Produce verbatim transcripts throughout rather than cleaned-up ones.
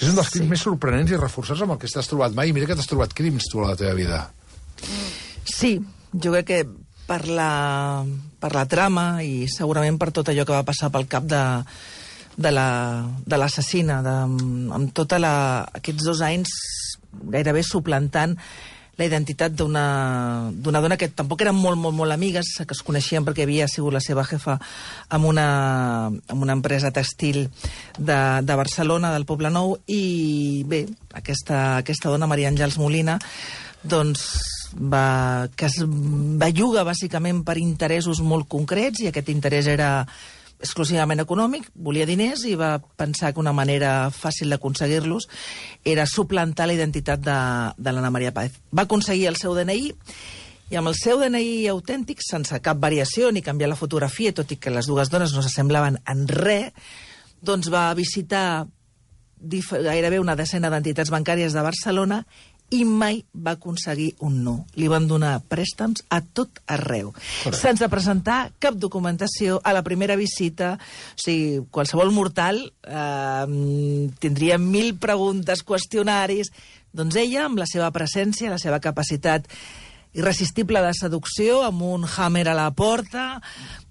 És un dels crims més sorprenents i reforçats amb el que t'has trobat mai. Mira que t'has trobat crims, tu, a la teva vida. Sí, jo crec que per la, per la trama i segurament per tot allò que va passar pel cap de, de l'assassina, amb tots aquests dos anys gairebé suplantant la identitat d'una dona que tampoc eren molt, molt, molt amigues, que es coneixien perquè havia sigut la seva jefa en una, en una empresa textil de, de Barcelona, del Poble Nou, i bé, aquesta, aquesta dona, Maria Àngels Molina, doncs va, que es belluga bàsicament per interessos molt concrets, i aquest interès era exclusivament econòmic, volia diners i va pensar que una manera fàcil d'aconseguir-los era suplantar la identitat de, de l'Anna Maria Páez. Va aconseguir el seu D N I i amb el seu D N I autèntic, sense cap variació ni canviar la fotografia, tot i que les dues dones no s'assemblaven en res, doncs va visitar gairebé una decena d'entitats bancàries de Barcelona i mai va aconseguir un no. Li van donar préstecs a tot arreu. Correcte. Sense presentar cap documentació a la primera visita. O sigui, qualsevol mortal eh, tindria mil preguntes, qüestionaris. Doncs ella, amb la seva presència, la seva capacitat irresistible de seducció, amb un hammer a la porta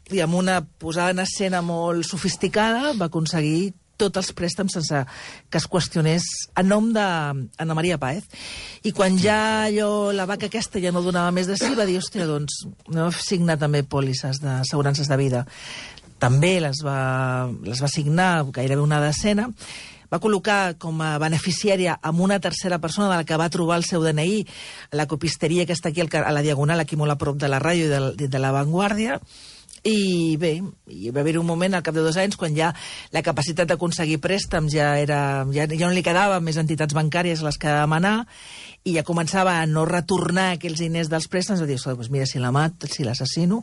i amb una posada en escena molt sofisticada, va aconseguir tots els préstecs sense que es qüestionés a nom d'Anna Maria Páez. I quan ja allò, la vaca aquesta ja no donava més de si, va dir, hòstia, doncs, no signar també pòlisses d'assegurances de vida. També les va, les va signar gairebé una decena. Va col·locar com a beneficiària amb una tercera persona de la que va trobar el seu D N I a la copisteria que està aquí a la Diagonal, aquí molt a prop de la ràdio i de, de la Vanguardia. I bé, hi va haver un moment al cap de dos anys quan ja la capacitat d'aconseguir préstecs ja, era, ja, ja no li quedava més entitats bancàries a les que demanar, i ja començava a no retornar aquells diners dels préstecs. Va dir, doncs mira, si la mat, si l'assassino,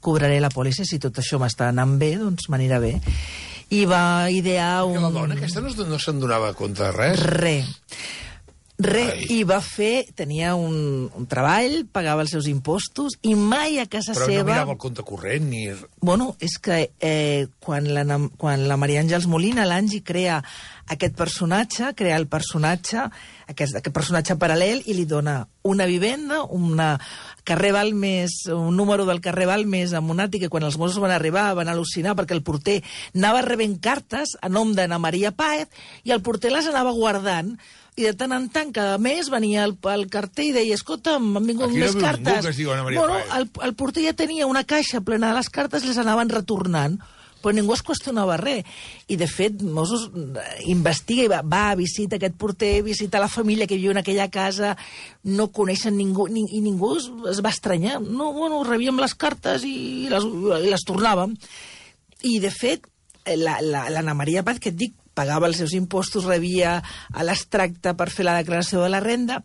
cobraré la pòlissa, si tot això m'està anant bé, doncs m'anirà bé. I va idear un... I la dona aquesta no, no se'n donava compte de res? Res. Res, i va fer, tenia un, un treball, pagava els seus impostos, i mai a casa Però seva... Però no mirava el compte corrent, ni... Bueno, és que eh, quan, la, quan la Maria Àngels Molina, l'Angi, crea aquest personatge, crea el personatge, aquest, aquest personatge paral·lel, i li dona una vivenda, una carrer Balmes, un número del carrer Balmes amb un àtic, que quan els Mossos van arribar van al·lucinar perquè el porter anava rebent cartes a nom d'Anna Maria Páez i el porter les anava guardant. I de tant en tant, cada mes venia el, el carter i deia, escolta, m'han vingut aquí més no cartes. Que es diu Anna Maria bueno, Páez. el, el porter ja tenia una caixa plena de les cartes i les anaven retornant, però ningú es qüestionava res. I, de fet, Mossos investiga i va, va a visitar aquest porter, visita la família que viu en aquella casa, no coneixen ningú, ni, i ningú es, es va estranyar. No, bueno, rebíem les cartes i les, i les tornàvem. I, de fet, l'Anna la, la Maria Páez, que et dic, pagava els seus impostos, rebia l'extracte per fer la declaració de la renda,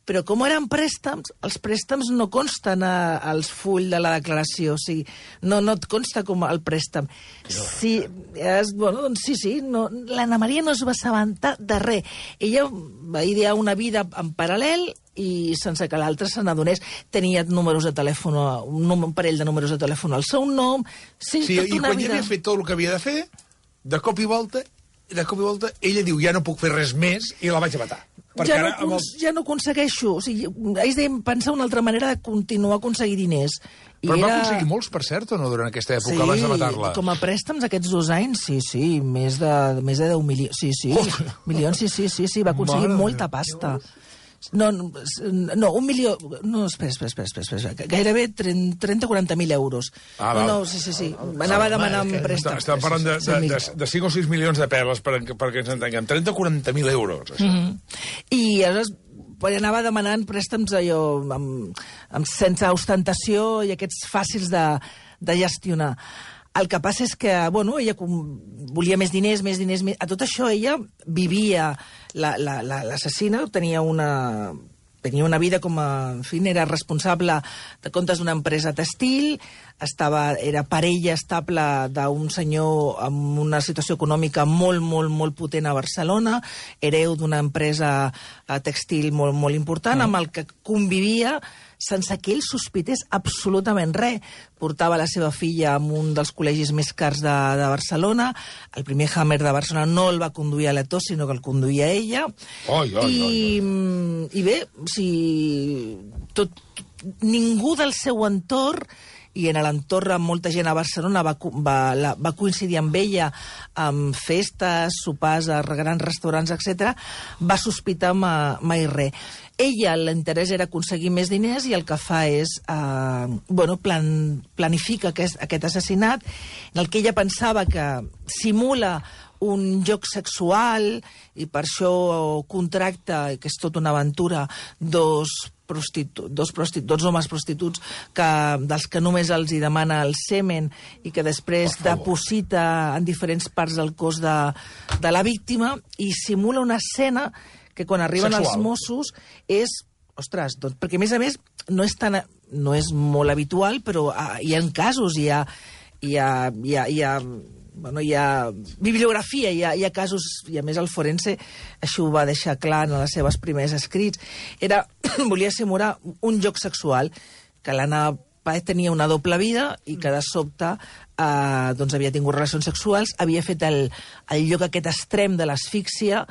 però com eren préstecs, els préstecs no consten a, als fulls de la declaració, o sigui, no, no et consta com el préstec. Sí, és, bueno, doncs sí, sí, no, l'Anna Maria no es va assabentar de res. Ella va idear una vida en paral·lel i sense que l'altre se n'adonés. Tenia números de telèfon, un, un parell de números de telèfon al seu nom. Sí, sí, tota i una quan vida... ja havia fet tot el que havia de fer, de cop i volta, de cop i volta, ella diu, ja no puc fer res més, i la vaig a matar. Ja no, el... ja no aconsegueixo. O sigui, haig de pensar una altra manera de continuar a aconseguir diners. I Però era... va aconseguir molts, per cert, o no, durant aquesta època, sí, abans de matar-la? Com a préstecs aquests dos anys, sí, sí, més de, més de deu milions. Sí, sí, oh. milions, sí, sí, sí, sí, va aconseguir Mare molta pasta. No, no, un milió... No, espera, espera, espera, espera, espera. Gairebé trenta o quaranta mil euros. Ah, no, no, sí, sí, sí. Anava demanant préstecs. Estem parlant de, de, de, de cinc o sis milions de perles, per, perquè ens entenguem. trenta o quaranta mil euros, això. Mm -hmm. I aleshores anava demanant préstecs allò, amb, amb, sense ostentació i aquests fàcils de, de gestionar. El que passa és que, bueno, ella volia més diners, més diners... Més... A tot això ella vivia... L'assassina tenia una... tenia una vida com a... En fi, era responsable de comptes d'una empresa textil, estava, era parella estable d'un senyor amb una situació econòmica molt, molt, molt potent a Barcelona, hereu d'una empresa textil molt, molt important, amb el que convivia sense que ell sospités absolutament res. Portava la seva filla a un dels col·legis més cars de, de Barcelona. El primer Hammer de Barcelona no el va conduir a l'Eto, sinó que el conduïa ella. Oi, oi, I, oi. I bé, si tot, ningú del seu entorn, i en l'entorn amb molta gent a Barcelona va, va, la, va coincidir amb ella amb festes, sopars a grans restaurants, etcètera, va sospitar ma, mai res. Ella, l'interès era aconseguir més diners i el que fa és, eh, bueno, plan, planifica aquest, aquest assassinat, en el que ella pensava que simula un joc sexual i per això contracta, que és tota una aventura, dos prostitu dos, prostitu dos homes prostituts que, dels que només els hi demana el semen i que després deposita en diferents parts del cos de, de la víctima i simula una escena que quan arriben sexual. Els Mossos és, ostres, doncs, perquè a més a més no és, tan, no és molt habitual, però uh, hi ha casos, hi ha, hi ha, hi ha, hi ha bueno, hi ha bibliografia, hi ha, hi ha casos, i a més el forense això ho va deixar clar en les seves primers escrits. Era, volia simular un joc sexual, que l'Anna Páez tenia una doble vida i que de sobte eh, doncs havia tingut relacions sexuals, havia fet el, el lloc aquest extrem de l'asfíxia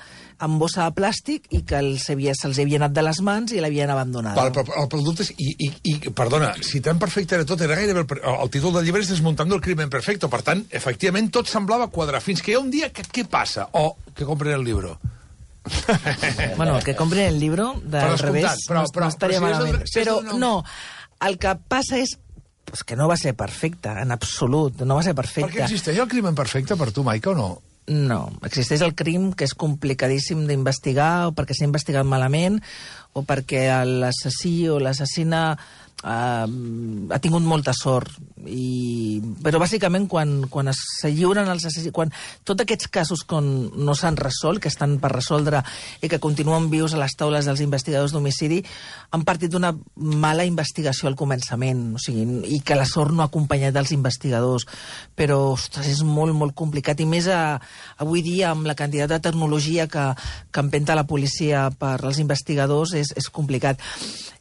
amb bossa de plàstic i que se'ls havia, se havia anat de les mans i l'havien abandonat. Val, però el producte és... I, i, i, perdona, si tan perfecte era tot, era gairebé... El, el títol del llibre és Desmuntando el crimen perfecto. Per tant, efectivament, tot semblava quadrar. Fins que hi ha un dia que què passa? O que compren el llibre. Bueno, que compren el llibre, del revés, però, però, no, no estaria però, malament. Si però no... no, el que passa és pues que no va ser perfecte, en absolut, no va ser perfecte. Perquè existeix el crimen perfecte per tu, Maica, o no? No, existeix el crim que és complicadíssim d'investigar, o perquè s'ha investigat malament, o perquè l'assassí o l'assassina eh, ha tingut molta sort. I... Però bàsicament quan, quan es lliuren els assassins, quan tots aquests casos quan no s'han resolt, que estan per resoldre i que continuen vius a les taules dels investigadors d'homicidi, han partit d'una mala investigació al començament, o sigui, i que la sort no ha acompanyat dels investigadors. Però, ostres, és molt, molt complicat, i més a, avui dia amb la quantitat de tecnologia que, que empenta la policia per als investigadors és, és complicat.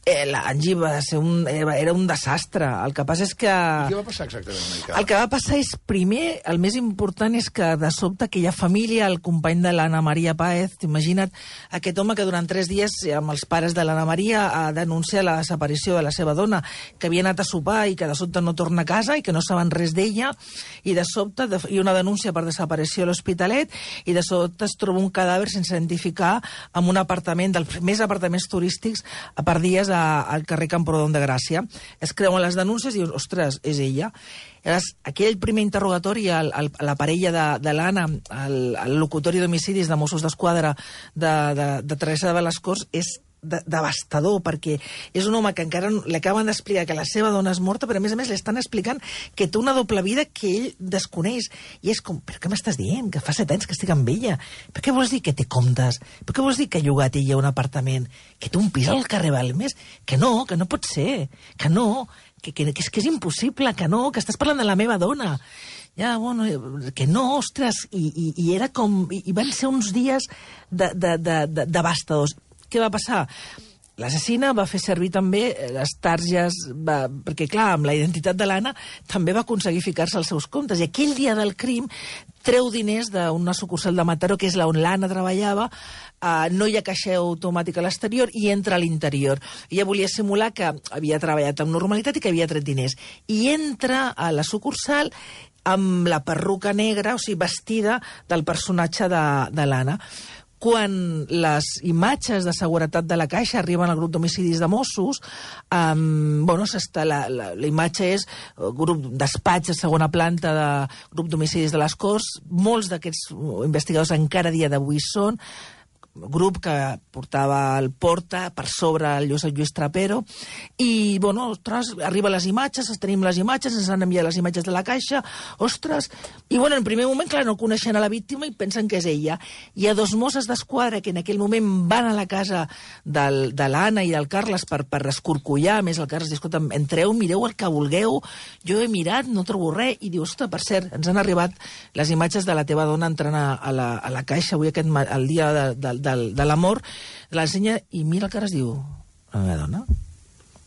Eh, L'Angie va ser un, era un desastre. El que passa és que... I què va passar exactament, Maica? El que va passar és, primer, el més important és que de sobte aquella família, el company de l'Anna Maria Páez, t'imagina't aquest home que durant tres dies amb els pares de l'Anna Maria ha denunciat la desaparició de la seva dona, que havia anat a sopar i que de sobte no torna a casa i que no saben res d'ella, i de sobte de, hi ha una denúncia per desaparició a l'Hospitalet, i de sobte es troba un cadàver sense identificar en un apartament, dels més apartaments turístics per dies a, al carrer Camprodon de Gràcia. Es creuen les denúncies i dius, ostres, és ella. Llavors, aquell primer interrogatori a la parella de, de l'Anna, al, al locutori d'homicidis de Mossos d'Esquadra de, de, de Teresa de les Corts, és de, devastador, perquè és un home que encara li acaben d'explicar que la seva dona és morta, però a més a més li estan explicant que té una doble vida que ell desconeix. I és com, però què m'estàs dient? Que fa set anys que estic amb ella. Per què vols dir que té comptes? Per què vols dir que ha llogat ella un apartament? Que té un pis al carrer Balmes? Que no, que no pot ser. Que no, que, que, que, és, que és impossible, que no, que estàs parlant de la meva dona. Ja, bueno, que no, ostres, i, i, i era com... I, i van ser uns dies de, de, de, de, devastadors. Què va passar? L'assassina va fer servir també les targes, va, perquè clar, amb la identitat de l'Anna també va aconseguir ficar-se als seus comptes. I aquell dia del crim treu diners d'una sucursal de Mataró, que és on l'Anna treballava, eh, no hi ha caixer automàtic a l'exterior i entra a l'interior. Ella volia simular que havia treballat amb normalitat i que havia tret diners. I entra a la sucursal amb la perruca negra, o sigui, vestida del personatge de, de l'Anna. Quan les imatges de seguretat de la Caixa arriben al grup d'homicidis de Mossos, um, bueno, la, la, la imatge és grup despatx de segona planta de grup d'homicidis de les Corts, molts d'aquests investigadors encara a dia d'avui són, grup que portava el Porta, per sobre el Lluís, el Lluís Trapero, i, bueno, ostres, arriben les imatges, tenim les imatges, ens han enviat les imatges de la caixa, ostres, i, bueno, en primer moment, clar, no coneixen a la víctima i pensen que és ella. Hi ha dos Mosses d'Esquadra que en aquell moment van a la casa del, de l'Anna i del Carles per, per escorcollar, a més el Carles diu, escolta, entreu, mireu el que vulgueu, jo he mirat, no trobo res, i diu, ostres, per cert, ens han arribat les imatges de la teva dona entrant a, a, la, a la caixa avui aquest, el dia de, de, de, de l'amor, l'ensenya i mira el que es diu, la meva dona?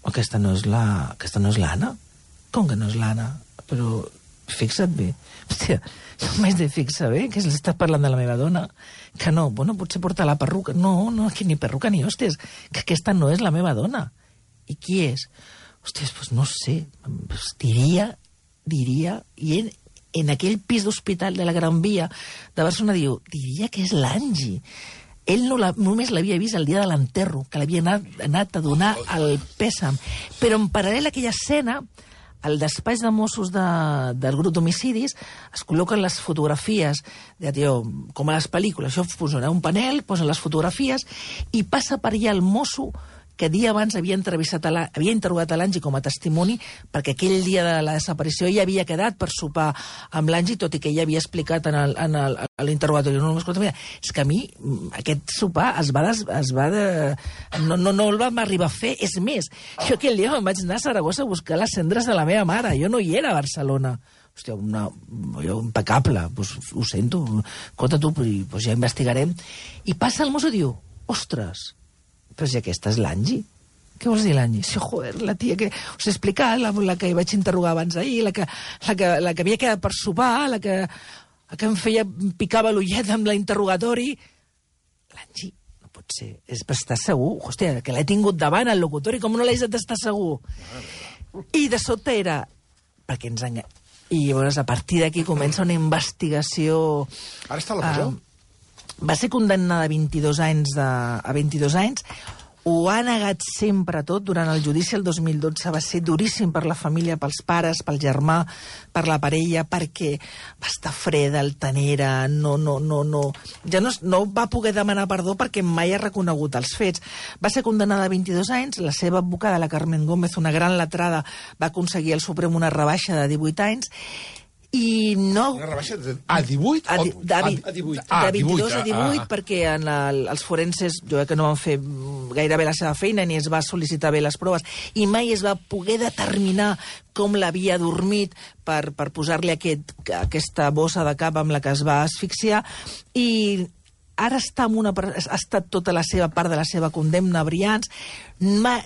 Aquesta no és la, aquesta no és l'Anna? Com que no és l'Anna? Però fixa't bé. Hòstia, no m'haig de fixar bé, que estàs parlant de la meva dona. Que no, bueno, potser porta la perruca. No, no, que ni perruca ni hòsties, que aquesta no és la meva dona. I qui és? Hòsties, doncs no sé, pues diria, diria, i en, en aquell pis d'hospital de la Gran Via de Barcelona diu, diria que és l'Angi. Ell no la, només l'havia vist el dia de l'enterro, que l'havia anat, anat a donar el pèsam. Però en paral·lel a aquella escena, al despatx de Mossos de, del grup d'homicidis es col·loquen les fotografies, de, tio, com a les pel·lícules, això funciona, un panel, posen les fotografies i passa per allà el mosso que dia abans havia entrevistat a la, havia interrogat a l'Angi com a testimoni, perquè aquell dia de la desaparició ja havia quedat per sopar amb l'Angi, tot i que ella havia explicat en, el, en el, a l'interrogatori. No, escolta, mira, és que a mi aquest sopar es va, des, es va de, no, no, no el vam arribar a fer. És més, jo aquell dia me'n vaig anar a Saragossa a buscar les cendres de la meva mare. Jo no hi era a Barcelona. Hòstia, una, jo, impecable, pues, ho sento, escolta tu, pues ja investigarem. I passa el mosso i diu, ostres, però si aquesta és l'Angi. Què vols dir, l'Angi? Sí, joder, la tia que us he explicat, la, la que hi vaig interrogar abans ahir, la que, la que, la que havia quedat per sopar, la que, la que em feia, em picava l'ullet amb l'interrogatori. L'Angi, no pot ser. És per estar segur. Hòstia, que l'he tingut davant al locutori, com no l'he d'estar segur? I de sobte era... Perquè ens enganya... I llavors, a partir d'aquí comença una investigació... Ara està a la presó? Uh, va ser condemnada a vint-i-dos anys, de, a vint-i-dos anys, ho ha negat sempre tot. Durant el judici el dos mil dotze va ser duríssim per la família, pels pares, pel germà, per la parella, perquè va estar freda, altanera, no, no, no, no. Ja no, no va poder demanar perdó perquè mai ha reconegut els fets. Va ser condemnada a vint-i-dos anys, la seva advocada, la Carmen Gómez, una gran letrada, va aconseguir al Suprem una rebaixa de divuit anys, i no... Una rebaixa de, a divuit? A, di, de, a, a divuit. De vint-i-dos a divuit, ah, perquè en el, els forenses, jo crec que no van fer gaire bé la seva feina, ni es va sol·licitar bé les proves, i mai es va poder determinar com l'havia dormit per, per posar-li aquest, aquesta bossa de cap amb la que es va asfixiar, i ara està amb una, ha estat tota la seva part de la seva condemna a Brians, ma,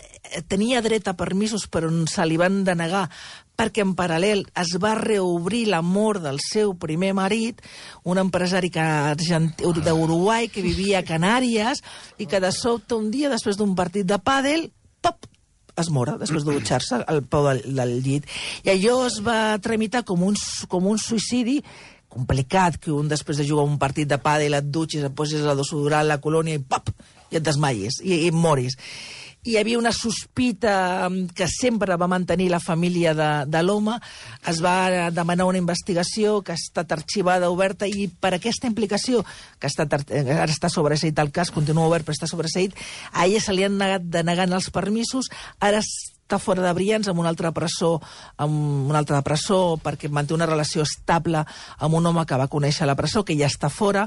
tenia dret a permisos però se li van denegar perquè en paral·lel es va reobrir la mort del seu primer marit, un empresari d'Uruguai que vivia a Canàries i que de sobte un dia, després d'un partit de pàdel, pop, es mora, després de dutxar-se al peu del, del llit. I allò es va tramitar com un, com un suïcidi complicat, que un després de jugar un partit de pàdel et dutxis, et posis la desodorant a la colònia i pop, i et desmaies, i, i et moris. Hi havia una sospita que sempre va mantenir la família de, de l'home, es va demanar una investigació que ha estat arxivada, oberta, i per aquesta implicació, que ha estat, ara està sobreseït el cas, continua obert però està sobreseït, a ella se li han negat denegant els permisos, ara està fora de Brians amb una altra presó, amb una altra presó perquè manté una relació estable amb un home que va conèixer a la presó, que ja està fora,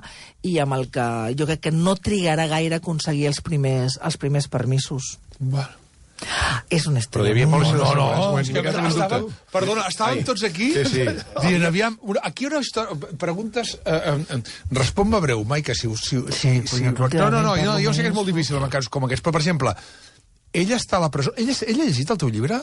i amb el que jo crec que no trigarà gaire a aconseguir els primers, els primers permisos. Bueno. És un estil. Però hi havia molt... No, no, no. És que Estàvem, perdona, estàvem Ai. tots aquí Sí, sí. dient, aviam, una, aquí una història... Preguntes... Eh, eh, Respon-me breu, Maica, si... si, si, Sí, si però no, no, no, últimament no, jo sé que és parlo molt difícil en casos com aquests, però, per exemple, ella està a la presó... Ella, ella ha llegit el teu llibre?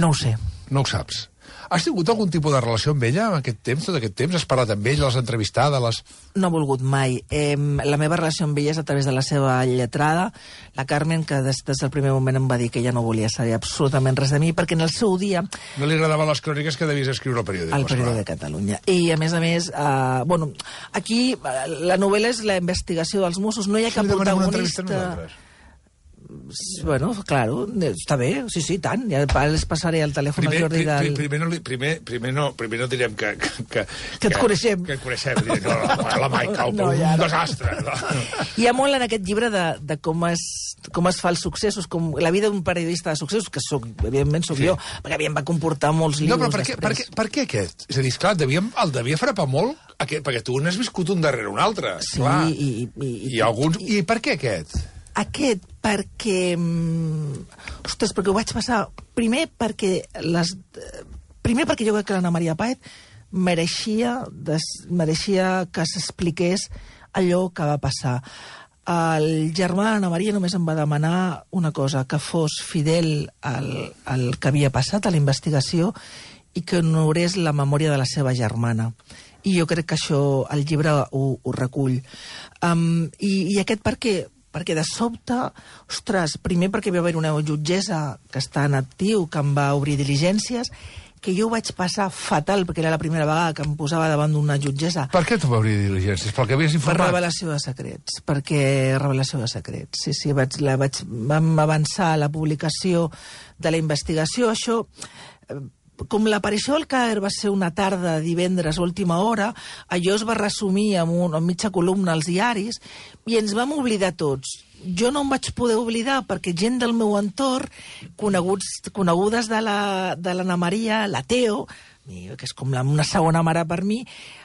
No ho sé. No ho saps. Has tingut algun tipus de relació amb ella en aquest temps, tot aquest temps? Has parlat amb ella, l'has entrevistada, les... No ha volgut mai. Eh, la meva relació amb ella és a través de la seva lletrada, la Carmen, que des, des del primer moment em va dir que ella no volia saber absolutament res de mi, perquè en el seu dia... No li agradaven les cròniques que devies escriure al periòdic. Al periòdic de Catalunya. I, a més a més, eh, bueno, aquí la novel·la és la investigació dels Mossos, no hi ha cap Si li demanem una entrevista a protagonista... nosaltres. bueno, claro, està bé, sí, sí, tant. Ja les passaré el telèfon primer, al Jordi del... Primer no, primer, primer, no, primer no direm que... Que, que, que et coneixem. Que et coneixem. No, no, la Maica, no, un ja, no. desastre. No. Hi ha molt en aquest llibre de, de com, es, com es fa els successos, com la vida d'un periodista de successos, que soc, evidentment soc sí. jo, perquè a mi em va comportar molts llibres no, però per què, per, què, per què aquest? És a dir, esclar, devia, el devia frapar molt, aquest, perquè tu n'has viscut un darrere un altre. Sí, clar. i... I, i, I, alguns, I per què aquest? Aquest, perquè... Ostres, perquè ho vaig passar... Primer perquè les... Primer perquè jo crec que l'Anna Maria Páez mereixia, des... mereixia que s'expliqués allò que va passar. El germà d'Anna Maria només em va demanar una cosa, que fos fidel al, al que havia passat, a la investigació, i que honorés la memòria de la seva germana. I jo crec que això el llibre ho, ho recull. Um, i, I aquest per què? Perquè de sobte, ostres, primer perquè va haver una jutgessa que està en actiu, que em va obrir diligències, que jo ho vaig passar fatal, perquè era la primera vegada que em posava davant d'una jutgessa. Per què t'ho va obrir diligències? Pel que havies informat? Per revelació de secrets, perquè revelació de secrets. Sí, sí, vaig, la vaig, vam avançar a la publicació de la investigació. Això... Com l'aparició del Caer va ser una tarda divendres a última hora, allò es va resumir en, un, en mitja columna als diaris i ens vam oblidar tots. Jo no em vaig poder oblidar perquè gent del meu entorn, coneguts, conegudes de l'Anna Maria, la Teo, que és com una segona mare per mi,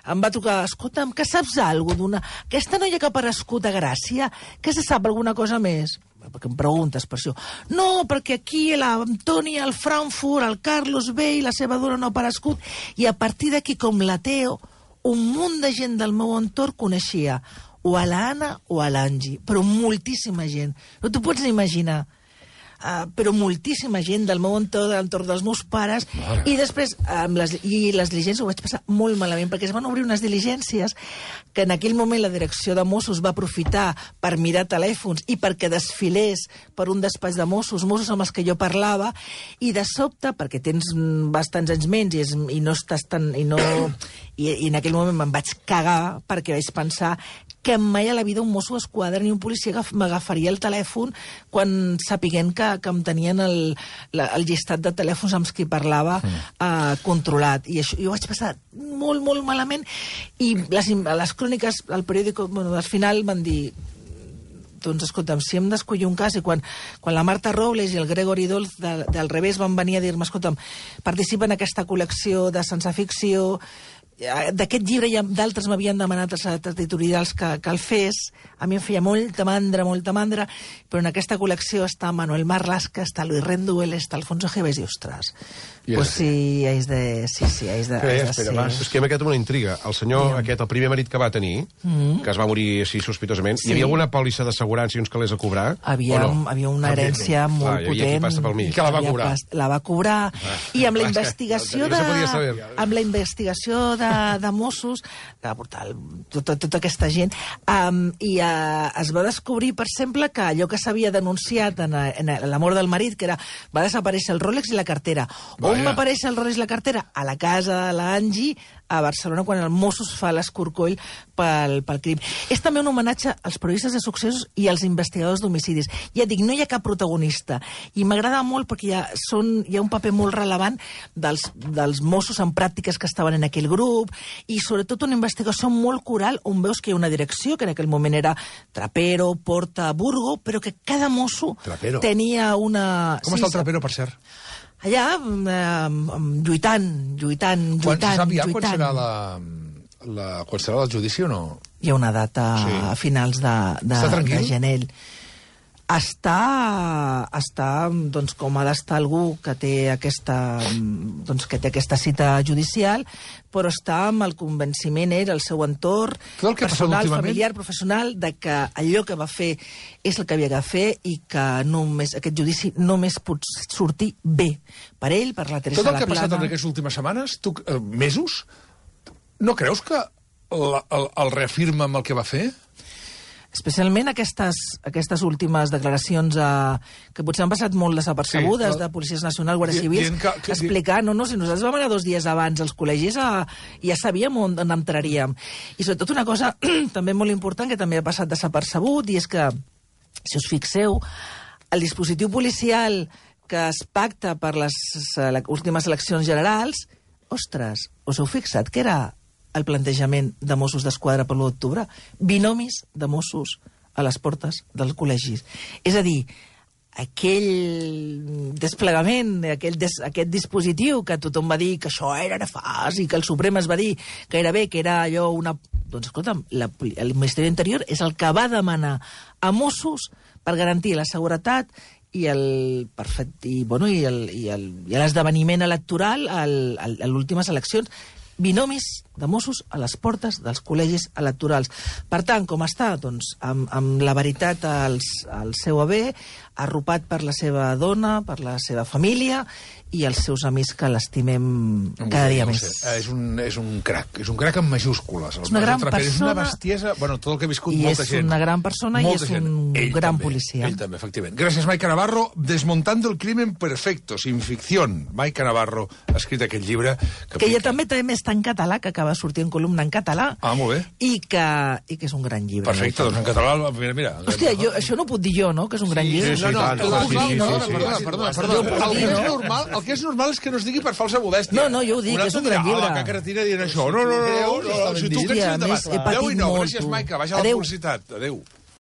em va trucar, escolta'm, que saps alguna d'una... Aquesta noia que ha aparegut a Gràcia, que se sap alguna cosa més? Perquè em preguntes per això. No, perquè aquí l'Antoni, el Frankfurt, el Carlos Bey, la seva dona no ha aparegut, i a partir d'aquí, com la Teo, un munt de gent del meu entorn coneixia o a l'Anna o a l'Angie, però moltíssima gent. No t'ho pots ni imaginar. Uh, però moltíssima gent del meu entorn, de l'entorn dels meus pares, Mare. i després amb les, i les diligències ho vaig passar molt malament, perquè es van obrir unes diligències que en aquell moment la direcció de Mossos va aprofitar per mirar telèfons i perquè desfilés per un despatx de Mossos, Mossos amb els que jo parlava, i de sobte, perquè tens bastants anys menys i, és, i no estàs tan... I, no, i, i en aquell moment me'n vaig cagar perquè vaig pensar que mai a la vida un mosso d'esquadra ni un policia m'agafaria el telèfon quan sapiguent que, que em tenien el, la, el llistat de telèfons amb qui parlava mm. eh, controlat. I això, jo vaig passar molt, molt malament, i les, les cròniques, al periòdic, bueno, al final van dir, doncs, escolta'm, si hem d'escollir un cas, i quan, quan la Marta Robles i el Gregory Dolz de, del revés van venir a dir-me, escolta'm, participa en aquesta col·lecció de sense ficció, d'aquest llibre i d'altres m'havien demanat els editorials que, que el fes, a mi em feia molta mandra, molta mandra, però en aquesta col·lecció està Manuel Marlaska, està Luis Renduel, està Alfonso Gebes, i ostres, yes. pues sí, és de... Sí, sí, és de... Espera, espera, va. És que m'ha quedat una intriga. El senyor sí. aquest, el primer marit que va tenir, mm. que es va morir així sospitosament, sí. hi havia alguna pòlissa d'assegurança i uns calés a cobrar? Havia, no? havia una herència ah, molt potent. I aquí passa pel mig. I que la va cobrar. Pas, la va cobrar. Ah, I amb la investigació de... Amb la investigació de de Mossos, que va portar el, tota, tota aquesta gent, um, i uh, es va descobrir, per exemple, que allò que s'havia denunciat en, en la mort del marit, que era, va desaparèixer el Rolex i la cartera. Vaya. On va aparèixer el Rolex i la cartera? A la casa de l'Angie, a Barcelona, quan el Mossos fa l'escorcoll pel, pel crim. És també un homenatge als periodistes de successos i als investigadors d'homicidis. Ja dic, no hi ha cap protagonista, i m'agrada molt perquè hi ha, són, hi ha un paper molt rellevant dels, dels Mossos en pràctiques que estaven en aquell grup, i sobretot una investigació molt coral on veus que hi ha una direcció, que en aquell moment era Trapero, Porta, Burgo, però que cada mosso Trapero. tenia una... Com sí, està el Trapero, per cert? Allà, eh, lluitant, lluitant, lluitant, quan se sap ja quan serà, la, la, quan serà el judici o no? Hi ha una data sí. a finals de, de, de gener. Està, està doncs, com ha d'estar algú que té aquesta, doncs, que té aquesta cita judicial, però està amb el convenciment, eh, el seu entorn, personal, familiar, professional, de que allò que va fer és el que havia de fer i que només, aquest judici només pot sortir bé per ell, per la Teresa Tot el La que ha passat Plana. en aquestes últimes setmanes, tu, eh, mesos, no creus que el, el, el reafirma amb el que va fer? Especialment aquestes, aquestes últimes declaracions eh, que potser han passat molt desapercebudes, sí, de policies nacionals, guàrdies civils, que, que, explicant, no, no, si nosaltres vam anar dos dies abans als col·legis a, ja sabíem on, on entraríem. I sobretot una cosa també molt important que també ha passat desapercebut, i és que, si us fixeu, el dispositiu policial que es pacta per les ele- últimes eleccions generals, ostres, us heu fixat que era el plantejament de Mossos d'Esquadra per l'u d'octubre? Binomis de Mossos a les portes dels col·legis. És a dir, aquell desplegament, aquell des, aquest dispositiu que tothom va dir que això era nefast i que el Suprem es va dir que era bé, que era allò una... Doncs, escolta'm, la, el Ministeri d'Interior és el que va demanar a Mossos per garantir la seguretat i el perfecte, i, bueno, i el, i el, i l'esdeveniment electoral al, al, a les últimes eleccions. Binomis de Mossos a les portes dels col·legis electorals. Per tant, com està? Doncs amb, amb la veritat al, al seu haver, arropat per la seva dona, per la seva família i els seus amics que l'estimem cada dia no més. sé, és, un, és un crac, és un crac amb majúscules. És una gran Trapero, persona... És una bestiesa, bueno, tot el que ha viscut I molta és gent. una gran persona molta i és gent. un Ell gran també, policia. Ell també, efectivament. Gràcies, Maica Navarro. Desmontando el crimen perfecto, sin ficción. Maica Navarro ha escrit aquest llibre... Que, que ja també també està en català, que acaba de sortir en columna en català. Ah, molt bé. I que, i que és un gran llibre. Perfecte, doncs en català... Mira, mira. Hòstia, jo, això no ho puc dir jo, no?, que és un gran llibre. sí, No, no, tant, el, sí, sí, sí, perdona, sí, perdona, sí. perdona, Jo ho perdona. puc El dir, que és no? normal, el que és normal és que no es digui per falsa modèstia. No, no, jo ho dic, Un és un altre gran dirà, llibre. "Ah, la cacaretina dient això". No, no, no, no, no, no, si tu dit. que ets I a endavant. més, he patit Adéu i no, molt, gràcies, tu. Maica. Vaja a la Adéu. publicitat. Adéu.